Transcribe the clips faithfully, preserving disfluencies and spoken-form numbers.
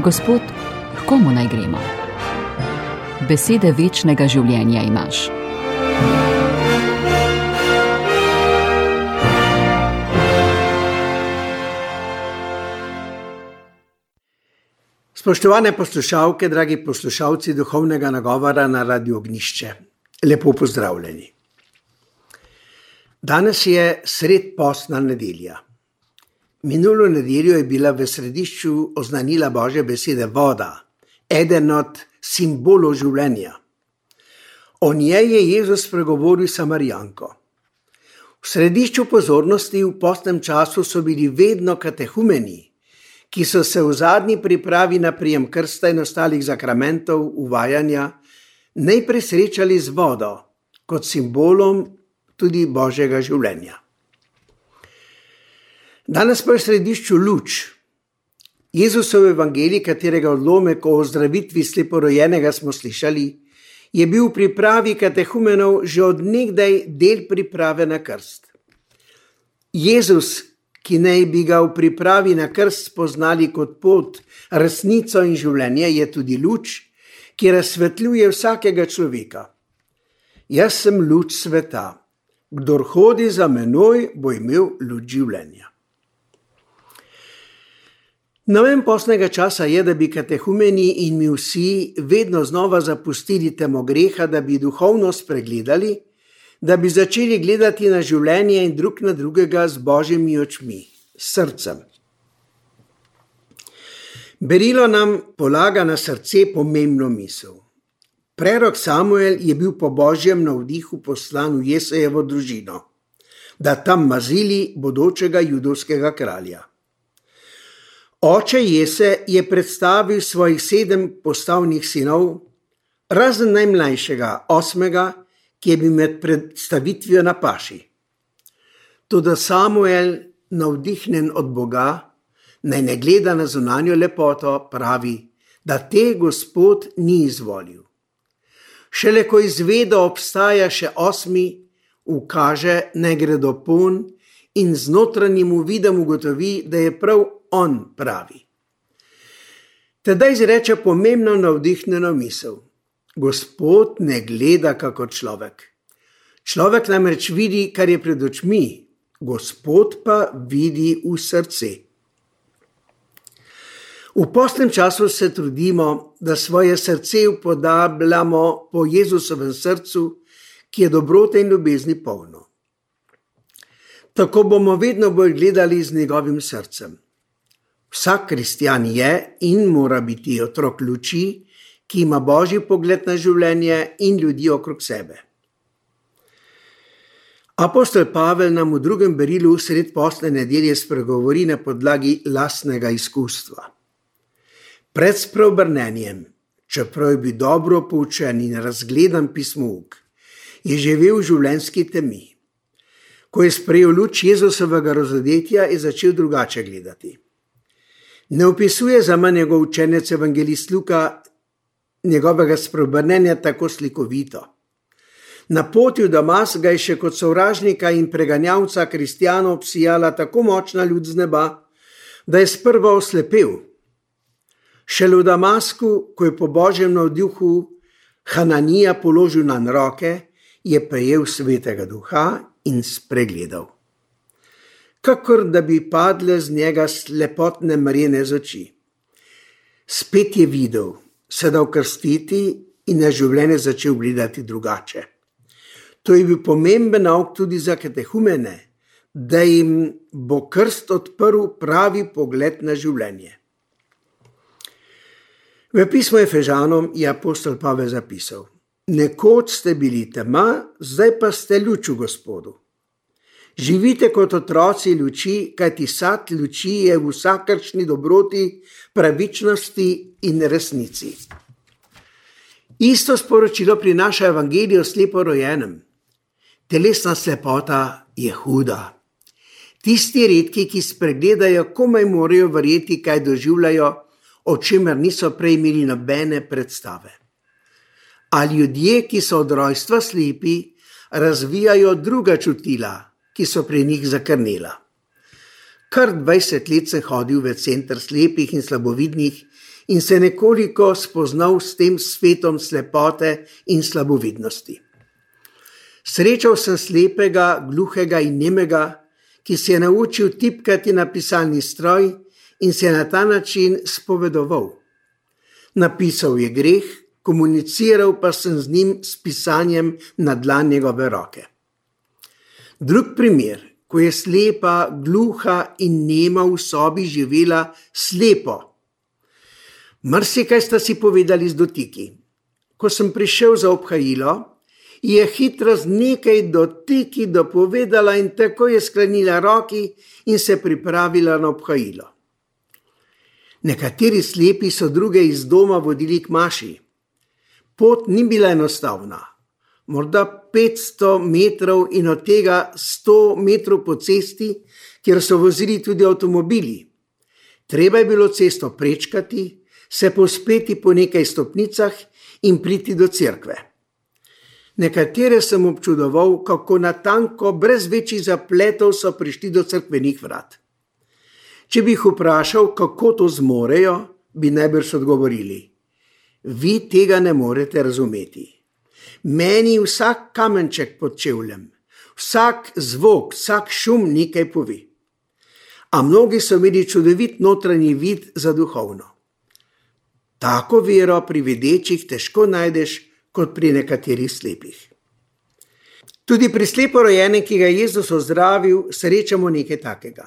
Gospod, k komu naj gremo? Besede večnega življenja imaš. Spoštovane poslušalke, dragi poslušalci duhovnega nagovora na Radiu Ognjišče, lepo pozdravljeni. Danes je sredpostna nedelja. Minulo nedeljo je bila v središču oznanila Božje besede voda, eden od simbolov življenja. O njej je Jezus spregovoril Samarijanko. V središču pozornosti v postnem času so bili vedno katehumeni, ki so se v zadnji pripravi na prijem krsta in ostalih zakramentov uvajanja najprej srečali z vodo, kot simbolom tudi Božjega življenja. Danes pa je v središču luč. Jezusov evangelij, katerega odlomek o ozdravitvi sleporojenega smo slišali, je bil v pripravi katehumenov že od nekdaj del priprave na krst. Jezus, ki naj bi ga v pripravi na krst spoznali kot pot, resnico in življenje, je tudi luč, ki razsvetljuje vsakega človeka. Jaz sem luč sveta. Kdor hodi za menoj, bo imel luč življenja. Namen postnega časa je, da bi katehumeni in mi vsi vedno znova zapustili temo greha, da bi duhovnost pregledali, da bi začeli gledati na življenje in drug na drugega z Božjimi očmi, s srcem. Berilo nam polaga na srce pomembno misel. Prerok Samuel je bil po Božjem navdihu poslan v Jesejevo družino, da tam mazili bodočega judovskega kralja. Oče Jese je predstavil svojih sedem postavnih sinov, razen najmlajšega, osmega, ki je bil med predstavitvijo na paši. Toda Samuel, navdihnjen od Boga, naj ne gleda na zunanjo lepoto, pravi, da te Gospod ni izvolil. Šele ko izvedo obstaja še osmi, ukaže, naj gre do pon in z notranjim uvidom ugotovi, da je prav on pravi. Tedaj izreče pomembno navdihnjeno misel. Gospod ne gleda kako človek. Človek namreč vidi, kar je pred očmi, Gospod pa vidi v srce. V postnem času se trudimo, da svoje srce upodabljamo po Jezusovem srcu, ki je dobrote in ljubezni polno. Tako bomo vedno bolj gledali z njegovim srcem. Vsak kristjan je in mora biti otrok luči, ki ima Božji pogled na življenje in ljudi okrog sebe. Apostol Pavel nam v drugem berilu sred postne nedelje spregovori na podlagi lastnega izkustva. Pred spreobrnenjem, čeprav je bil dobro poučen in razgledan pismouk, je živel v življenjski temi. Ko je sprejel luč Jezusovega razodetja, je začel drugače gledati. Ne opisuje za manj njegov učenec evangelist Luka njegovega spreobrnenja tako slikovito. Na poti v Damas ga je še kot sovražnika in preganjavca kristjanov obsijala tako močna luč z neba, da je sprva oslepel. Šele v Damasku, ko je po Božjem navdihu Hananija položil nanj roke, je prejel svetega duha in spregledal. Kakor da bi padle z njega slepotne mrene z oči. Spet je videl, se dal krstiti in na življenje začel gledati drugače. To je bil pomemben nauk tudi za katehumene, da jim bo krst odprl pravi pogled na življenje. V pismu Efežanom je apostol Pavel zapisal: Nekoč ste bili tema, zdaj pa ste luč v Gospodu. Živite kot otroci luči, kajti sad luči je v vsakršni dobroti, pravičnosti in resnici. Isto sporočilo prinaša evangelij o sleporojenem. Telesna slepota je huda. Tisti redki, ki spregledajo, komaj morajo verjeti, kaj doživljajo, o čemer niso prej imeli nobene predstave. A ljudje, ki so od rojstva slepi, razvijajo druga čutila, ki so pri njih zakrnela. Kar dvajset let sem hodil v center slepih in slabovidnih in se nekoliko spoznal s tem svetom slepote in slabovidnosti. Srečal sem slepega, gluhega in nemega, ki se je naučil tipkati na pisalni stroj in se je na ta način spovedoval. Napisal je greh, komuniciral pa sem z njim s pisanjem na dlan njegove roke. Drug primer, ko je slepa, gluha in nema v sobi živela slepo. Marsikaj sta si povedali z dotiki. Ko sem prišel za obhajilo, je hitro z nekaj dotiki dopovedala in tako je sklenila roki in se pripravila na obhajilo. Nekateri slepi so druge iz doma vodili k maši. Pot ni bila enostavna, morda petsto metrov in od tega sto metrov po cesti, kjer so vozili tudi avtomobili. Treba je bilo cesto prečkati, se povzpeti po nekaj stopnicah in priti do cerkve. Nekatere sem občudoval, kako natanko, brez večjih zapletov so prišli do cerkvenih vrat. Če bi jih vprašal, kako to zmorejo, bi najbrž odgovorili: vi tega ne morete razumeti. Meni vsak kamenček pod čevljem, vsak zvok, vsak šum nekaj pove. A mnogi so imeli čudovit notranji vid za duhovno. Tako vero pri videčih težko najdeš kot pri nekaterih slepih. Tudi pri sleporojenem, ki ga je Jezus ozdravil, srečamo nekaj takega.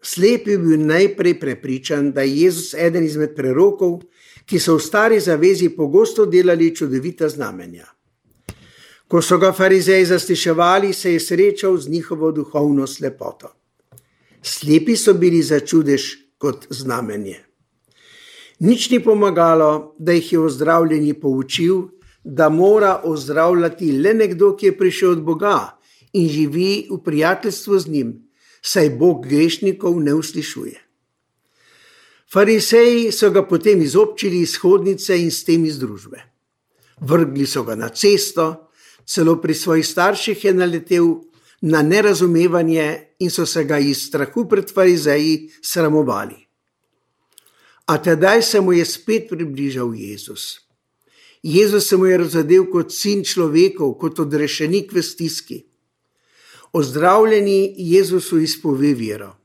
Slep je bil najprej prepričan, da je Jezus eden izmed prerokov, ki so v stari zavezi pogosto delali čudovita znamenja. Ko so ga farizeji zasliševali, se je srečal z njihovo duhovno slepoto. Slepi so bili za čudež kot znamenje. Nič ni pomagalo, da jih je ozdravljeni poučil, da mora ozdravljati le nekdo, ki je prišel od Boga in živi v prijateljstvu z njim, saj Bog grešnikov ne uslišuje. Farizeji so ga potem izobčili iz hodnice in s tem iz družbe. Vrgli so ga na cesto, celo pri svojih starših je naletel na nerazumevanje in so se ga iz strahu pred farizeji sramovali. A tedaj se mu je spet približal Jezus. Jezus se mu je razodel kot sin človekov, kot odrešenik v stiski. Ozdravljeni Jezusu izpove vero: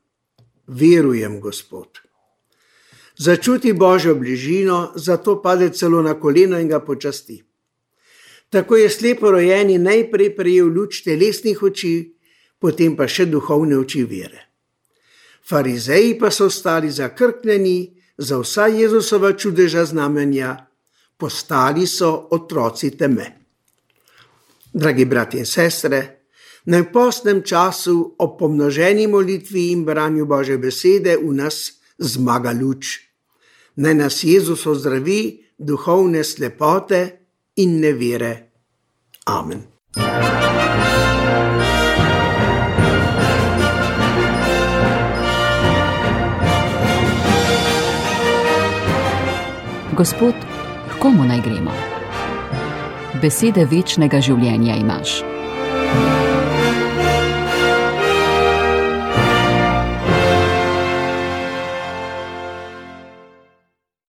verujem, Gospod. Začuti Božjo bližino, zato pade celo na koleno in ga počasti. Tako je sleporojeni najprej prejel luč telesnih oči, potem pa še duhovne oči vere. Farizeji pa so ostali zakrknjeni za vsa Jezusova čudeža znamenja, postali so otroci teme. Dragi bratje in sestre, naj v postnem času ob pomnoženi molitvi in branju Božje besede v nas zmaga luč. Naj nas Jezus ozdravi duhovne slepote in nevere. Amen. Gospod, h komu naj gremo? Besede večnega življenja imaš.